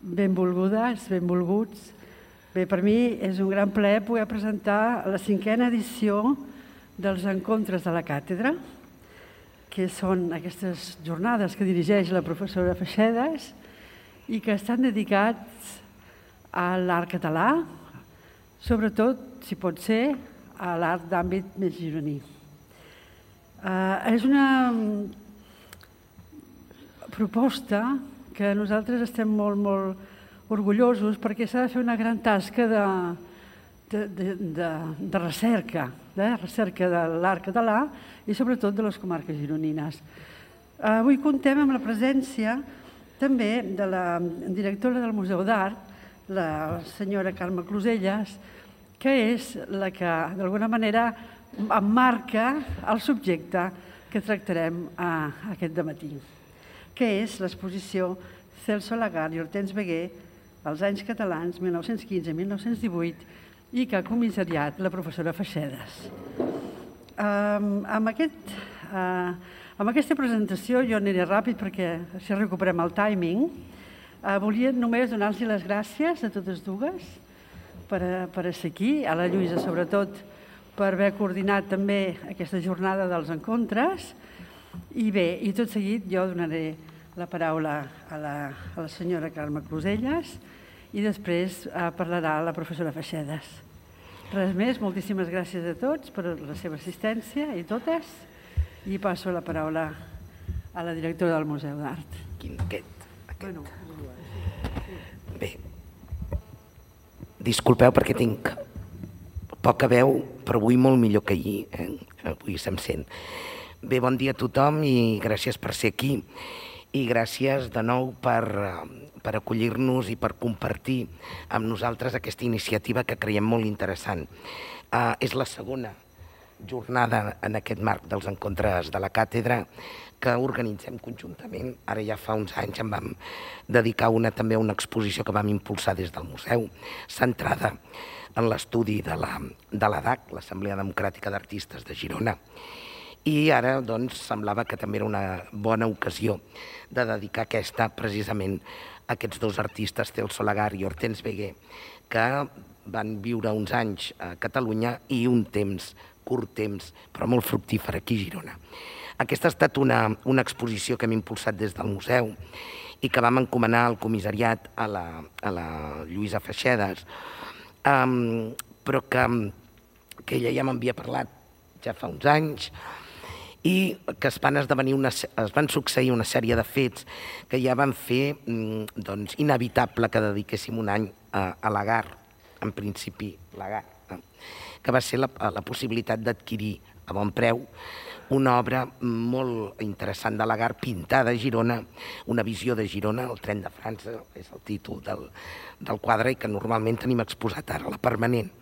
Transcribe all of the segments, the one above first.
benvolgudes, benvolguts. Bé, per mi és un gran plaer poder presentar la 5a edició dels Encontres de la Càtedra, que són aquestes jornades que dirigeix la professora Feixedes i que estan dedicats a l'art català, sobretot, si pot ser, a l'art d'àmbit més gironí. És una proposta que nosaltres estem molt orgullosos perquè s'ha de fer una gran tasca de recerca de l'art català i sobretot de les comarques gironines. Avui contem amb la presència també de la directora del Museu d'Art, la senyora Carme Closelles, que és la que d'alguna manera emmarca el subjecte que tractarem aquest dematí, que és l'exposició Celso Lagarde i Hortense Beguer, als anys catalans 1915-1918, i que ha comissariat la professora Feixedes. Amb aquesta presentació jo aniré ràpid perquè així recuperem el timing. Volia només donar-los les gràcies a totes dues per ser aquí, a la Lluïsa sobretot per haver coordinat també aquesta jornada dels encontres. I bé, i tot seguit jo donaré la paraula a la senyora Carme Closelles i després parlarà la professora Feixedes. Res més, moltíssimes gràcies a tots per la seva assistència i totes, i passo la paraula a la directora del Museu d'Art. Bé, disculpeu perquè tinc poca veu, però avui molt millor que ahir. Avui se'm sent. Bé, bon dia a tothom i gràcies per ser aquí. I gràcies de nou per acollir-nos i per compartir amb nosaltres aquesta iniciativa que creiem molt interessant. És la segona jornada en aquest marc dels Encontres de la Càtedra que organitzem conjuntament. Ara ja fa uns anys en vam dedicar també a una exposició que vam impulsar des del museu, centrada en l'estudi de l'ADAC, l'Assemblea Democràtica d'Artistes de Girona. I ara doncs, semblava que també era una bona ocasió de dedicar aquesta precisament a aquests dos artistes, Celso Lagarde i Hortense Beguer, que van viure uns anys a Catalunya i un temps, curt temps, però molt fructífer aquí a Girona. Aquesta ha estat una exposició que hem impulsat des del museu i que vam encomanar al comissariat a la Lluïsa Feixedes, però que ella ja m'havia parlat ja fa uns anys, i que es van succeir una sèrie de fets que ja van fer inevitable que dediquéssim un any a Lagarde, en principi Lagarde, que va ser la possibilitat d'adquirir a bon preu una obra molt interessant de Lagarde, pintada a Girona, una visió de Girona, el tren de França, és el títol del quadre i que normalment tenim exposat ara, la permanent.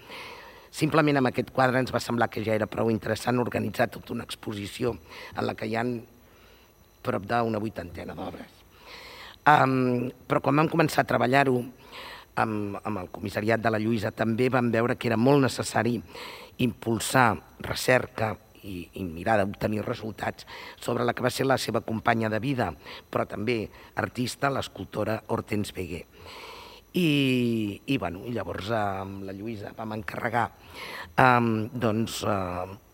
Simplement amb aquest quadre ens va semblar que ja era prou interessant organitzar tota una exposició en la que hi ha prop d'una 80 d'obres. Però quan vam començar a treballar-ho amb el comissariat de la Lluïsa també vam veure que era molt necessari impulsar recerca i mirar d'obtenir resultats sobre la que va ser la seva companya de vida, però també artista, l'escultora Hortense Beguer. I llavors amb la Lluïsa vam encarregar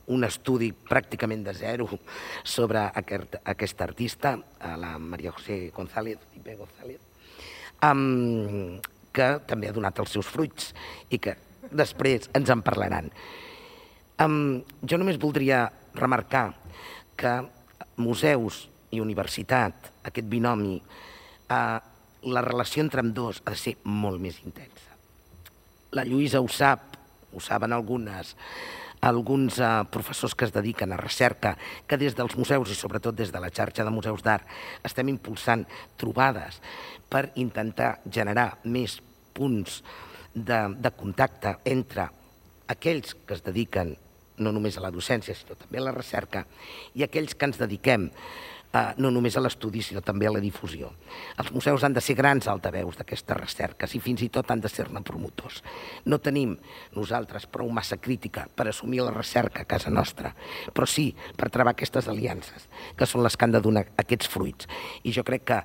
un estudi pràcticament de zero sobre aquesta artista, la María José González, que també ha donat els seus fruits i que després ens en parlaran. Jo només voldria remarcar que museus i universitat, aquest binomi, la relació entre ambdós ha de ser molt més intensa. La Lluïsa ho sap, ho saben alguns professors que es dediquen a recerca, que des dels museus i sobretot des de la xarxa de museus d'art estem impulsant trobades per intentar generar més punts de contacte entre aquells que es dediquen no només a la docència, sinó també a la recerca, i aquells que ens dediquem no només a l'estudi, sinó també a la difusió. Els museus han de ser grans altaveus d'aquestes recerques i fins i tot han de ser-ne promotors. No tenim nosaltres prou massa crítica per assumir la recerca a casa nostra, però sí per trobar aquestes aliances, que són les que han de donar aquests fruits. I jo crec que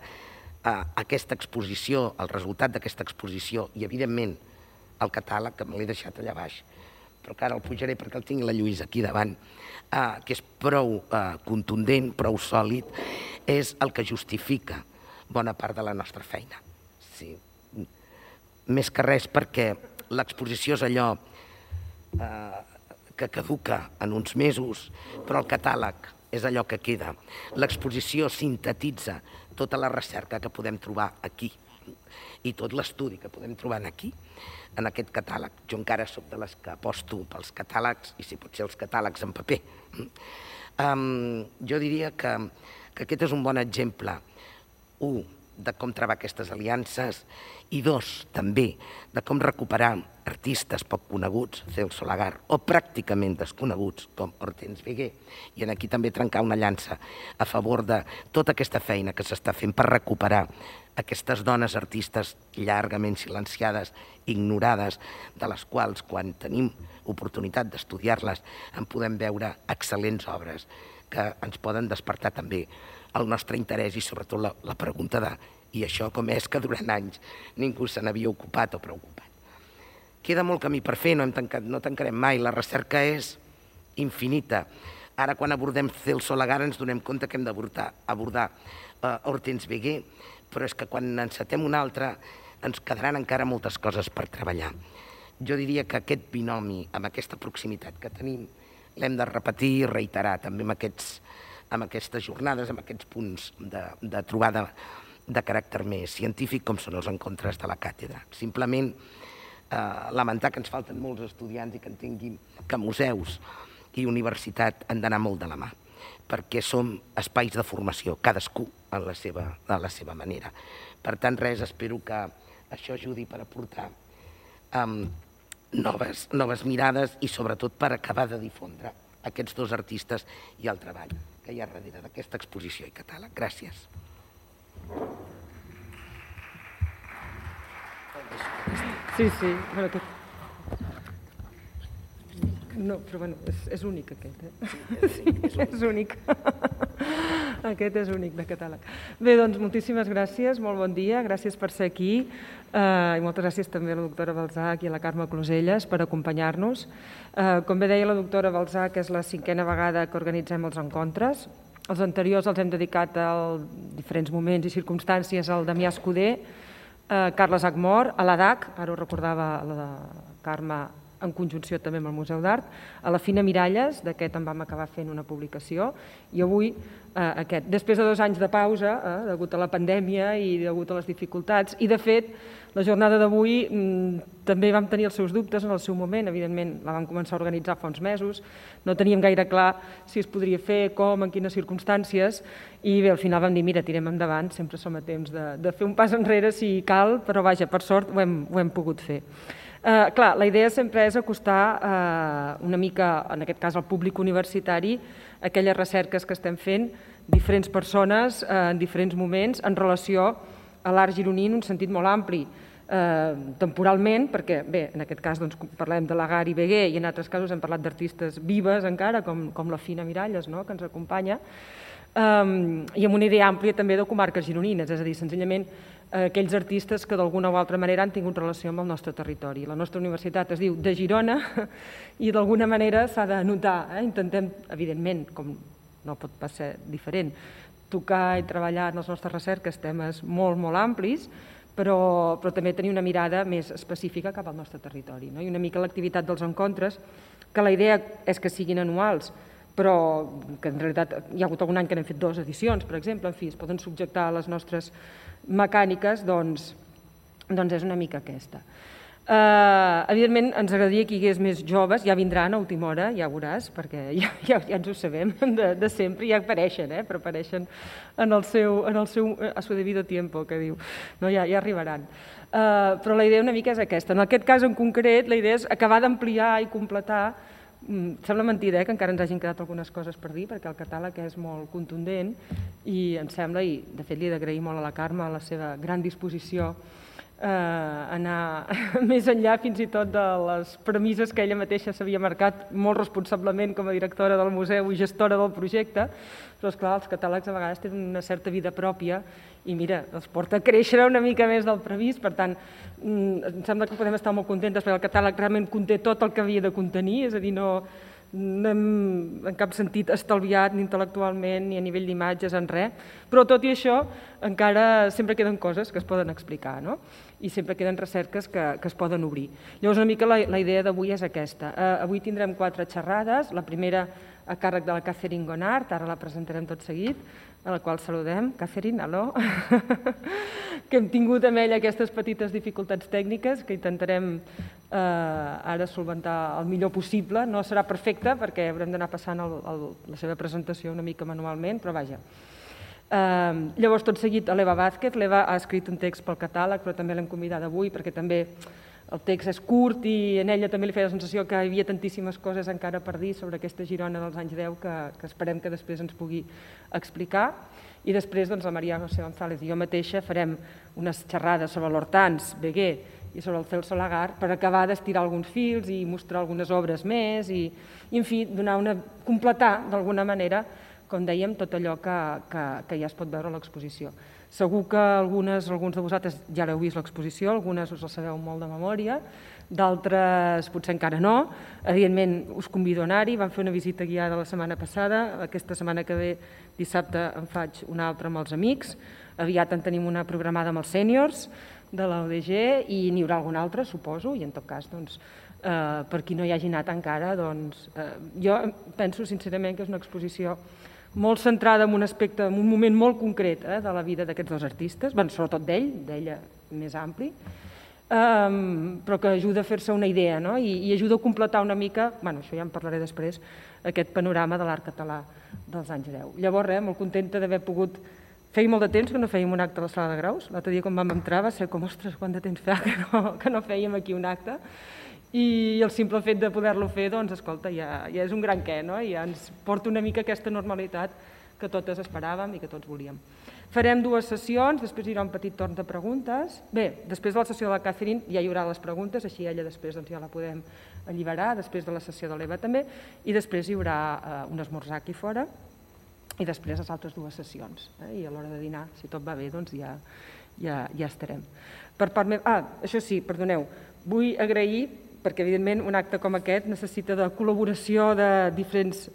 aquesta exposició, el resultat d'aquesta exposició i, evidentment, el catàleg, que me l'he deixat allà baix, però que ara el pujaré perquè el tinc la Lluïsa aquí davant, que és prou contundent, prou sòlid, és el que justifica bona part de la nostra feina. Sí. Més que res perquè l'exposició és allò que caduca en uns mesos, però el catàleg és allò que queda. L'exposició sintetitza tota la recerca que podem trobar aquí i tot l'estudi que podem trobar aquí, en aquest catàleg. Jo encara soc de les que aposto pels catàlegs, i si pot ser els catàlegs en paper. Jo diria que aquest és un bon exemple, un, de com trobar aquestes aliances, i dos, també, de com recuperar artistes poc coneguts, Celso Lagar, o pràcticament desconeguts, com Hortense Wegué, i aquí també trencar una llança a favor de tota aquesta feina que s'està fent per recuperar aquestes dones artistes llargament silenciades, ignorades, de les quals, quan tenim oportunitat d'estudiar-les, en podem veure excel·lents obres que ens poden despertar també el nostre interès i sobretot la pregunta de i això com és que durant anys ningú se n'havia ocupat o preocupat. Queda molt camí per fer, no tancarem mai, la recerca és infinita. Ara quan abordem Celso Lagar ens donem compte que hem d'abordar Hortense Wegué, però és que quan encetem una altra ens quedaran encara moltes coses per treballar. Jo diria que aquest binomi, amb aquesta proximitat que tenim, l'hem de repetir i reiterar també amb aquestes jornades, amb aquests punts de trobada de caràcter més científic com són els encontres de la càtedra. Simplement lamentar que ens falten molts estudiants i que entenguin que museus i universitat han d'anar molt de la mà, perquè som espais de formació, cadascú a la seva manera. Per tant, res, espero que això ajudi per aportar noves mirades i sobretot per acabar de difondre aquests dos artistes i el treball que hi ha darrere d'aquesta exposició i catàleg. Gràcies. Sí. No, però bueno, és únic aquest, és únic. Aquest és únic de catàleg. Bé, doncs moltíssimes gràcies, molt bon dia, gràcies per ser aquí i moltes gràcies també a la doctora Balzac i a la Carme Closelles per acompanyar-nos. Com bé deia la doctora Balzac, és la 5a vegada que organitzem els encontres. Els anteriors els hem dedicat a diferents moments i circumstàncies al Damià Escudé, Carles Agmor, a l'ADAC, ara ho recordava la Carme en conjunció també amb el Museu d'Art, a la Fina Miralles, d'aquest en vam acabar fent una publicació, i avui aquest. Després de 2 anys de pausa, degut a la pandèmia i degut a les dificultats, i de fet, la jornada d'avui també vam tenir els seus dubtes en el seu moment, evidentment la vam començar a organitzar fa uns mesos, no teníem gaire clar si es podria fer, com, en quines circumstàncies, i bé, al final vam dir, mira, tirem endavant, sempre som a temps de fer un pas enrere si cal, però vaja, per sort ho hem pogut fer. Clar, la idea sempre és acostar una mica, en aquest cas al públic universitari, aquelles recerques que estem fent, diferents persones en diferents moments en relació a l'art gironí en un sentit molt ampli, temporalment, perquè bé, en aquest cas parlem de Lagar i Wegué i en altres casos hem parlat d'artistes vives encara, com la Fina Miralles, que ens acompanya, i amb una idea àmplia també de comarques gironines, és a dir, senzillament aquells artistes que d'alguna o altra manera han tingut relació amb el nostre territori. La nostra universitat es diu de Girona i d'alguna manera s'ha de notar. Intentem, evidentment, com no pot ser diferent, tocar i treballar en les nostres recerques temes molt, molt amplis, però també tenir una mirada més específica cap al nostre territori. I una mica l'activitat dels encontres, que la idea és que siguin anuals, però que en realitat hi ha hagut algun any que n'hem fet 2 edicions, per exemple, en fi, es poden subjectar a les nostres mecàniques, doncs és una mica aquesta. Evidentment, ens agradaria que hi hagués més joves, ja vindran a última hora, ja veuràs, perquè ja ens ho sabem de sempre, ja apareixen, però apareixen en el seu a su debido tiempo, que diu, ja arribaran. Però la idea una mica és aquesta. En aquest cas en concret, la idea és acabar d'ampliar i completar. Sembla mentida que encara ens hagin quedat algunes coses per dir, perquè el catàleg és molt contundent i em sembla, i de fet li he d'agrair molt a la Carme la seva gran disposició anar més enllà fins i tot de les premisses que ella mateixa s'havia marcat molt responsablement com a directora del museu i gestora del projecte, però esclar, els catàlegs a vegades tenen una certa vida pròpia i mira, els porta a créixer una mica més del previst, per tant, em sembla que podem estar molt contentes perquè el catàleg realment conté tot el que havia de contenir, és a dir, no hem en cap sentit estalviat ni intel·lectualment ni a nivell d'imatges en res, però tot i això encara sempre queden coses que es poden explicar, no? I sempre queden recerques que es poden obrir. Llavors una mica la idea d'avui és aquesta. Avui tindrem 4 xerrades, la primera a càrrec de la Catherine Gonart, ara la presentarem tot seguit, a la qual saludem. Catherine, aló! Que hem tingut amb ella aquestes petites dificultats tècniques que intentarem ara solventar el millor possible. No serà perfecte perquè haurem d'anar passant la seva presentació una mica manualment, però vaja. Llavors, tot seguit, a l'Eva Vázquez. L'Eva ha escrit un text pel catàleg, però també l'hem convidat avui perquè també el text és curt i en ella també li feia la sensació que hi havia tantíssimes coses encara per dir sobre aquesta Girona dels anys 10 que esperem que després ens pugui explicar. I després la Maria José González i jo mateixa farem unes xerrades sobre l'Hortans, Beguer i sobre el Celso Lagar per acabar d'estirar alguns fils i mostrar algunes obres més i en fi, completar d'alguna manera, com dèiem, tot allò que ja es pot veure a l'exposició. Segur que alguns de vosaltres ja l'heu vist l'exposició, algunes us la sabeu molt de memòria, d'altres potser encara no. Evidentment, us convido a anar-hi, vam fer una visita guiada la setmana passada, aquesta setmana que ve, dissabte, en faig una altra amb els amics, aviat en tenim una programada amb els sèniors de la UDG i n'hi haurà alguna altra, suposo, i en tot cas, per qui no hi hagi anat encara, jo penso sincerament que és una exposició molt centrada en un aspecte, en un moment molt concret de la vida d'aquests dos artistes, sobretot d'ella més ampli, però que ajuda a fer-se una idea i ajuda a completar una mica, això ja en parlaré després, aquest panorama de l'art català dels anys 10. Llavors, molt contenta d'haver pogut... Feia molt de temps que no fèiem un acte a la Sala de Graus. L'altre dia quan vam entrar va ser com, ostres, quant de temps fa que no fèiem aquí un acte. I el simple fet de poder-lo fer, doncs, escolta, ja és un gran què, no? I ja ens porta una mica aquesta normalitat que totes esperàvem i que tots volíem. Farem 2 sessions, després hi haurà un petit torn de preguntes. Bé, després de la sessió de la Catherine ja hi haurà les preguntes, així ella després ja la podem alliberar, després de la sessió de l'Eva també, i després hi haurà un esmorzar aquí fora, i després les altres 2 sessions. I a l'hora de dinar, si tot va bé, doncs ja estarem. Per part meva... això sí, perdoneu, vull agrair, perquè evidentment un acte com aquest necessita de col·laboració de diferents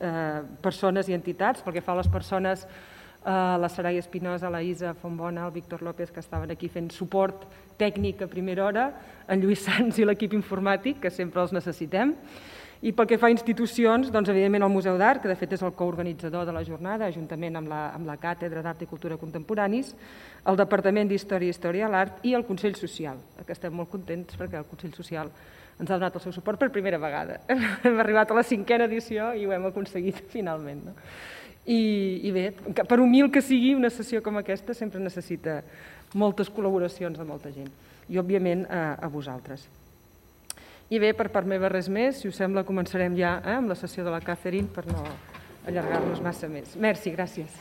persones i entitats, pel que fa a les persones, la Sarai Espinosa, la Isa Fontbona, el Víctor López, que estaven aquí fent suport tècnic a primera hora, en Lluís Sans i l'equip informàtic, que sempre els necessitem. I pel que fa a institucions, doncs evidentment el Museu d'Art, que de fet és el coorganitzador de la jornada, juntament amb la Càtedra d'Art i Cultura Contemporanis, el Departament d'Història i Història de l'Art i el Consell Social, que estem molt contents perquè el Consell Social ens ha donat el seu suport per primera vegada. Hem arribat a la 5a edició i ho hem aconseguit finalment. I bé, per humil que sigui, una sessió com aquesta sempre necessita moltes col·laboracions de molta gent i, òbviament, a vosaltres. I bé, per part meva res més, si us sembla començarem ja amb la sessió de la Catherine per no allargar-nos massa més. Merci, gràcies.